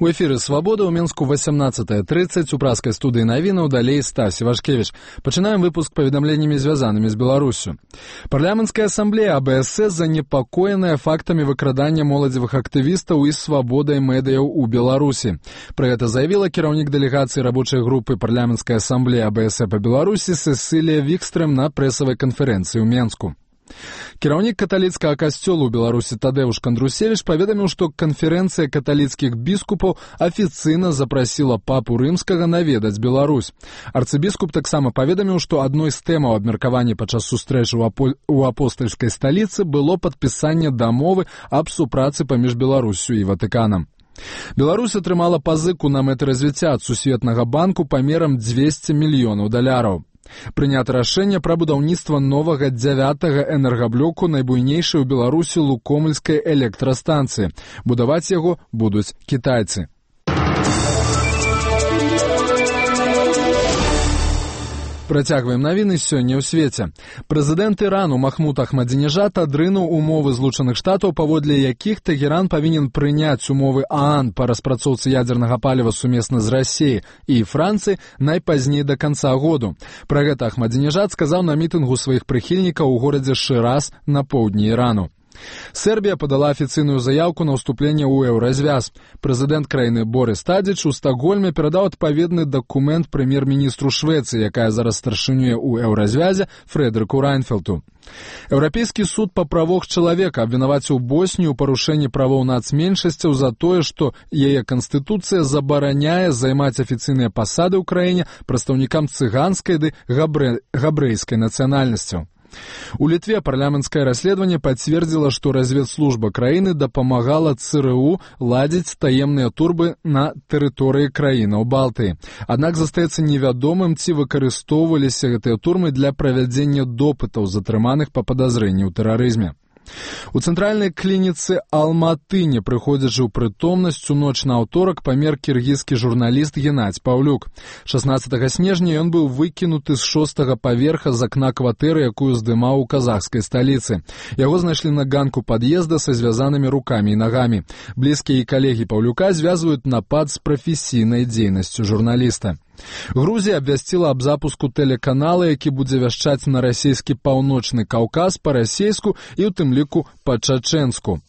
У эфіры «Свабода» ў Мінску 18:30 у праскай студыі навінаў, далей Стась Івашкевіч. Пачынаем выпуск паведамленнямі, звязанымі з Беларуссю. Парламенцкая ассамблея АБСС занепакоеная фактамі выкрадання моладзевых актывістаў і свабодай медыяў у Беларусі. Пра гэта заявіла кіраўнік дэлегацыі рабочай групы парламенцкай ассамблеі АБСС па Беларусі Сесілія Вікстрэм на прэсавай канферэнцыі ў Менску. Кіраўнік каталіцкага касцёла ў Беларусі Тадеуш Кандрусевіч паведаміў, што канферэнцыя каталіцкіх біскупаў афіцыйна запрасіла папу рымскага наведаць Беларусь. Арцыбіскуп таксама паведаміў, што адной з тэмаў абмеркавання падчас сустрэчы ў апостальскай сталіцы было падпісанне дамовы аб супрацы паміж Беларуссю і Ватыканам. Беларусь атрымала пазыку на мэты развіцця ад Сусветнага банку памерам $200 мільёнаў. Прынята рашэнне пра будаўніцтва новага 9-га энергаблоку найбуйнейшай у Беларусі Лукомльскай электрастанцыі. Будаваць яго будуць кітайцы. Працягваем навіны сёння ў свеце. Прэзідэнт Ірану Махмуд Ахмадзінежад адрынуў умовы Злучаных Штатаў, паводле якіх Тэгеран павінен прыняць умовы ААН па распрацоўцы ядзернага паліва сумесна з Расіяй і Францыяй найпазней да канца году. Пра гэта Ахмадзінежад сказаў на мітынгу сваіх прыхільнікаў у горадзе Шыраз на поўдні Ірану. Сербія падала афіцыйную заяўку на ўступленне ў еўразвяз. Прэзідэнт краіны Борис Тадзіч у Стакгольме перадаў адпаведны дакумент прэм'ер-міністру Швецыі, якая зараз старшынюе ў еўразвязе, Фрэдэрыку Райнфелту. Еўрапейскі суд па правах чалавека абвінаваціў Боснію ў парушэнні правоў нацменшасцяў за тое, што яе канстытуцыя забараняе займаць афіцыйныя пасады ў краіне прадстаўнікам цыганскай ды габрэйскай нацыянальнасцяў. У Літве парламенцкае расследаванне пацвердзіла, што разведслужба краіны дапамагала ЦРУ ладзіць таемныя турбы на тэрыторыі краінаў Балтыі. Аднак застаецца невядомым, ці выкарыстоўваліся гэтыя турмы для правядзення допытаў затрыманых па падазрэнні ў тэрарызме. У цэнтральнай клініцы Алматы, не прыходзячы ў прытомнасць, у ноч на аўторак памер кіргізскі журналіст Геннадзь Паўлюк. 16 снежня ён быў выкінуты з 6-го паверха з акна кватэры, якую здымаў у казахскай сталіцы. Яго знайшлі на ганку пад'езда са звязанымі рукамі і нагамі. Блізкія і калегі Паўлюка звязваюць напад з прафесійнай дзейнасцю журналіста. Грузія абвясціла аб запуску тэлеканала, які будзе вяшчаць на расійскі паўночны Каўказ па-расейску і ў тым ліку па-чачэнску.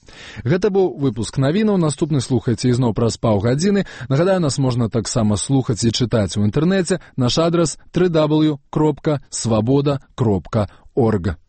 Гэта быў выпуск навінаў. Наступны слухайце ізноў праз паўгадзіны. Нагадаю, нас можна таксама слухаць і чытаць у інтэрнэце. Наш адрас www.swaboda.org.